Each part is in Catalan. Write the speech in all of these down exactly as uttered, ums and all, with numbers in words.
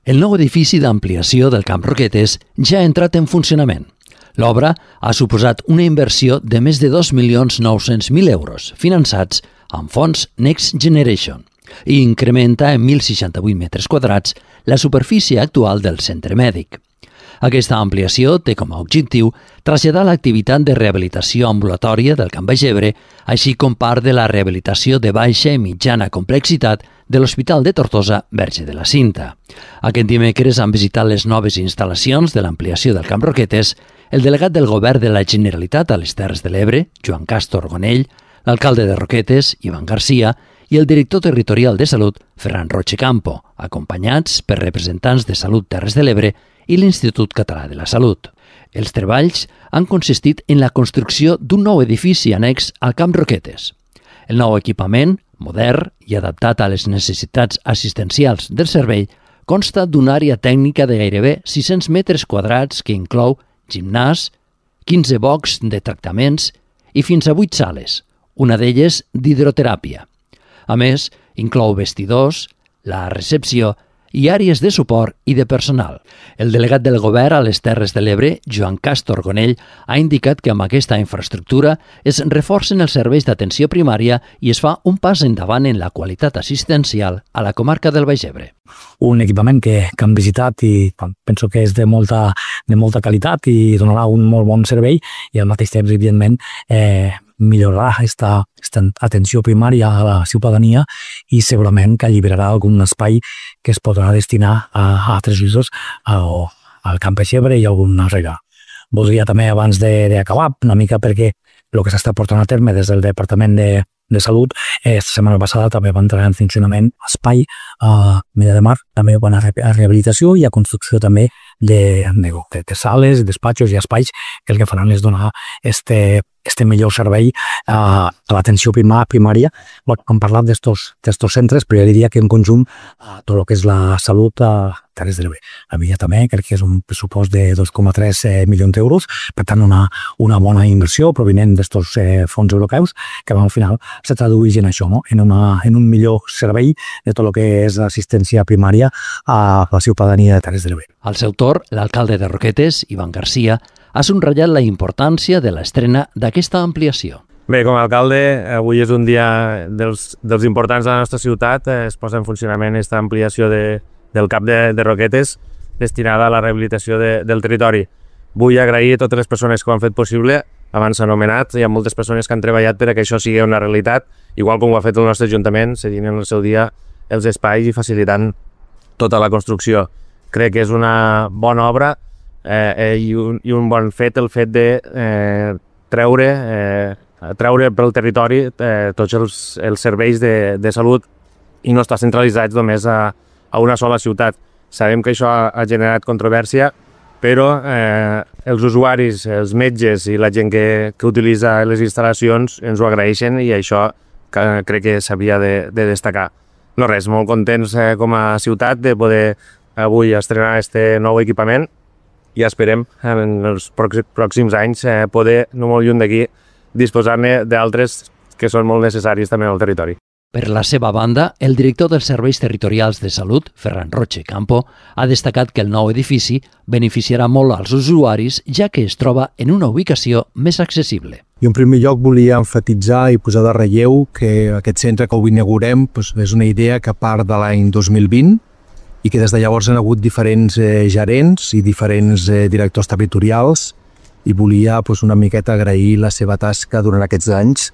El nou edifici d'ampliació del Camp Roquetes ja ha entrat en funcionament. L'obra ha suposat una inversió de més de dos milions nou-cents mil euros, finançats amb fons Next Generation, i incrementa en mil seixanta-vuit metres quadrats la superfície actual del centre mèdic. Aquesta ampliació té com a objectiu traslladar l'activitat de rehabilitació ambulatòria del Camp Baix Ebre, així com part de la rehabilitació de baixa i mitjana complexitat de l'Hospital de Tortosa Verge de la Cinta. Aquest dimecres han visitat les noves instal·lacions de l'ampliació del Camp Roquetes el delegat del Govern de la Generalitat a les Terres de l'Ebre, Joan Castor Gonell, l'alcalde de Roquetes, Ivan Garcia, i el director territorial de Salut, Ferran Roche Campo, acompanyats per representants de Salut Terres de l'Ebre i l'Institut Català de la Salut. Els treballs han consistit en la construcció d'un nou edifici annex al Camp Roquetes. El nou equipament, modern i adaptat a les necessitats assistencials del servei, consta d'una àrea tècnica de gairebé sis-cents metres quadrats que inclou gimnàs, quinze boxs de tractaments i fins a vuit sales, una d'elles d'hidroteràpia. A més, inclou vestidors, la recepció i àrees de suport i de personal. El delegat del Govern a les Terres de l'Ebre, Joan Castor Gonell, ha indicat que amb aquesta infraestructura es reforcen els serveis d'atenció primària i es fa un pas endavant en la qualitat assistencial a la comarca del Baix Ebre. Un equipament que, que han visitat i penso que és de molta, de molta qualitat i donarà un molt bon servei i al mateix temps, evidentment, eh, millorarà aquesta, aquesta atenció primària a la ciutadania i segurament que alliberarà algun espai que es podrà destinar a, a altres usos al, al Camp Baix Ebre i a alguna rega. Voldria també, abans d'acabar, una mica perquè el que s'està portant a terme des del Departament de, de Salut, eh, la setmana passada també va entrar en funcionament espai a Mella de Mar, també bona rehabilitació i a construcció també de, de, de sales, despatxos i espais que el que faran és donar este, este millor servei a, a l'atenció primària. Hem parlat d'estos centres, però jo diria que en conjunt tot el que és la salut a Terres de l'Ebre. Havia també, crec que és un pressupost de dos coma tres milions d'euros, per tant una, una bona inversió provinent d'estos eh, fons europeus que al final se tradueix en això, no? en, una, en un millor servei de tot el que és l'assistència primària a la ciutadania de Terres de l'Ebre. Al seu torn, l'alcalde de Roquetes, Ivan Garcia, ha subratllat la importància de l'estrena d'aquesta ampliació. Bé, com a alcalde, avui és un dia dels, dels importants de la nostra ciutat. Es posa en funcionament aquesta ampliació de, del CAP de, de Roquetes destinada a la rehabilitació de, del territori. Vull agrair a totes les persones que ho han fet possible. Abans s'ha anomenat, hi ha moltes persones que han treballat per a que això sigui una realitat, igual com ho ha fet el nostre Ajuntament, cedint en el seu dia els espais i facilitant tota la construcció. Crec que és una bona obra eh, i, un, i un bon fet el fet de eh, treure, eh, treure pel territori eh, tots els, els serveis de, de salut i no estar centralitzats només a, a una sola ciutat. Sabem que això ha, ha generat controvèrsia, però eh, els usuaris, els metges i la gent que, que utilitza les instal·lacions ens ho agraeixen i això que, crec que s'havia de, de destacar. No res, molt contents eh, com a ciutat de poder avui estrenar aquest nou equipament i esperem en els pròxims anys eh, poder, no molt lluny d'aquí, disposar-ne d'altres que són molt necessaris també al territori. Per la seva banda, el director dels Serveis Territorials de Salut, Ferran Roche Campo, ha destacat que el nou edifici beneficiarà molt als usuaris, ja que es troba en una ubicació més accessible. I en primer lloc volia enfatitzar i posar de relleu que aquest centre que avui inaugurem doncs, és una idea que part de l'any dos mil vint i que des de llavors han hagut diferents eh, gerents i diferents eh, directors territorials i volia doncs, una miqueta agrair la seva tasca durant aquests anys,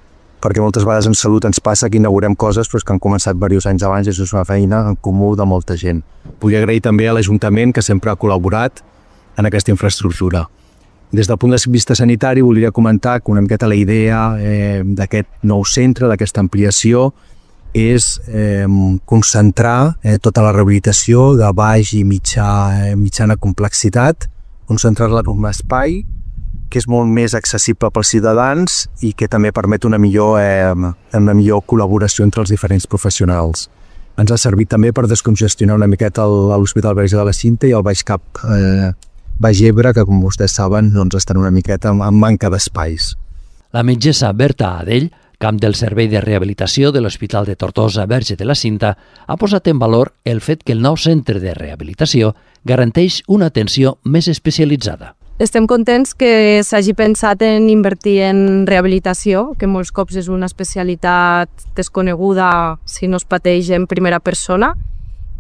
perquè moltes vegades en salut ens passa que inaugurem coses però que han començat diversos anys abans i és una feina en comú de molta gent. Vull agrair també a l'Ajuntament que sempre ha col·laborat en aquesta infraestructura. Des del punt de vista sanitari volia comentar que una miqueta la idea eh, d'aquest nou centre, d'aquesta ampliació, és eh, concentrar eh, tota la rehabilitació de baix i mitjà, eh, mitjana complexitat, concentrar-la en un espai que és molt més accessible pels ciutadans i que també permet una millor, eh, una millor col·laboració entre els diferents professionals. Ens ha servit també per descongestionar una miqueta l'Hospital Verge de la Cinta i el Baix Cap eh, Baix Ebre, que com vostès saben doncs estan una miqueta en manca d'espais. La metgessa Berta Adell camp del servei de rehabilitació de l'Hospital de Tortosa Verge de la Cinta ha posat en valor el fet que el nou centre de rehabilitació garanteix una atenció més especialitzada. Estem contents que s'hagi pensat en invertir en rehabilitació, que molts cops és una especialitat desconeguda si no es pateix en primera persona.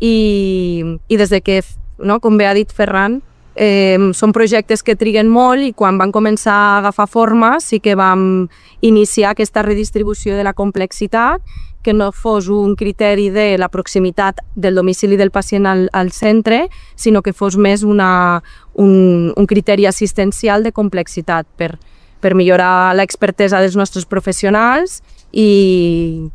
I, i des de que, no, com bé ha dit Ferran, eh, són projectes que triguen molt i quan van començar a agafar forma sí que vam iniciar aquesta redistribució de la complexitat, que no fos un criteri de la proximitat del domicili del pacient al, al centre, sinó que fos més una, un, un criteri assistencial de complexitat per, per millorar l'expertesa dels nostres professionals i,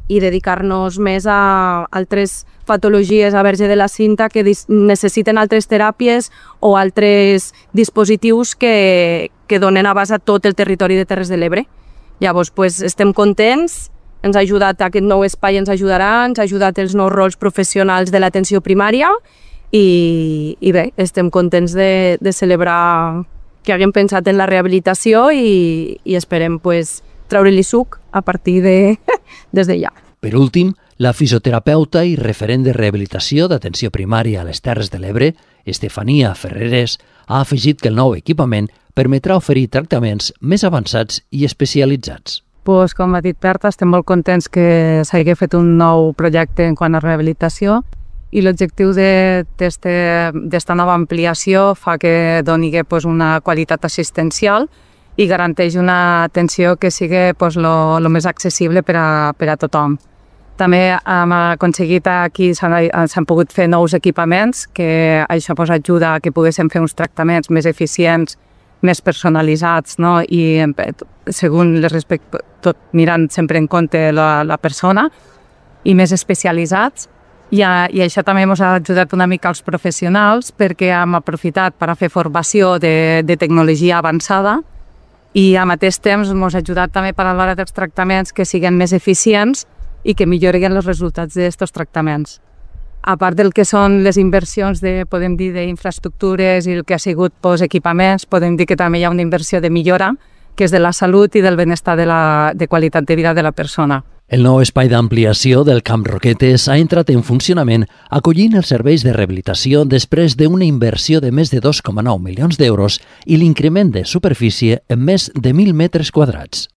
i dedicar-nos més a altres patologies a Verge de la Cinta que necessiten altres teràpies o altres dispositius que, que donen abast a tot el territori de Terres de l'Ebre. Llavors, pues, estem contents. Ens ha ajudat aquest nou espai, ens ajudarà, ens ha ajudat els nous rols professionals de l'atenció primària i, i bé, estem contents de, de celebrar que haguem pensat en la rehabilitació i, i esperem pues, treure-li suc a partir de des d'allà. Per últim, la fisioterapeuta i referent de rehabilitació d'atenció primària a les Terres de l'Ebre, Estefania Ferreres, ha afegit que el nou equipament permetrà oferir tractaments més avançats i especialitzats. Pues, com ha dit Berta, estem molt contents que s'hagi fet un nou projecte en quant a rehabilitació i l'objectiu d'esta nova ampliació fa que doni pues, una qualitat assistencial i garanteix una atenció que sigui pues, lo, lo més accessible per a, per a tothom. També hem aconseguit aquí, s'han pogut fer nous equipaments, que això pues, ajuda a que poguéssim fer uns tractaments més eficients, més personalitzats, no? I segons les respect... tot mirant sempre en compte la, la persona i més especialitzats. I, a, I això també ens ha ajudat una mica als professionals perquè hem aprofitat per a fer formació de, de tecnologia avançada i al mateix temps ens ha ajudat també per a l'hora dels tractaments que siguin més eficients i que millorin els resultats d'aquests tractaments. A part del que són les inversions de, podem dir, d'infraestructures i el que ha sigut pues, equipaments, podem dir que també hi ha una inversió de millora, que és de la salut i del benestar de, la, de qualitat de vida de la persona. El nou espai d'ampliació del Camp Roquetes ha entrat en funcionament acollint els serveis de rehabilitació després d'una inversió de més de dos coma nou milions d'euros i l'increment de superfície en més de mil metres quadrats.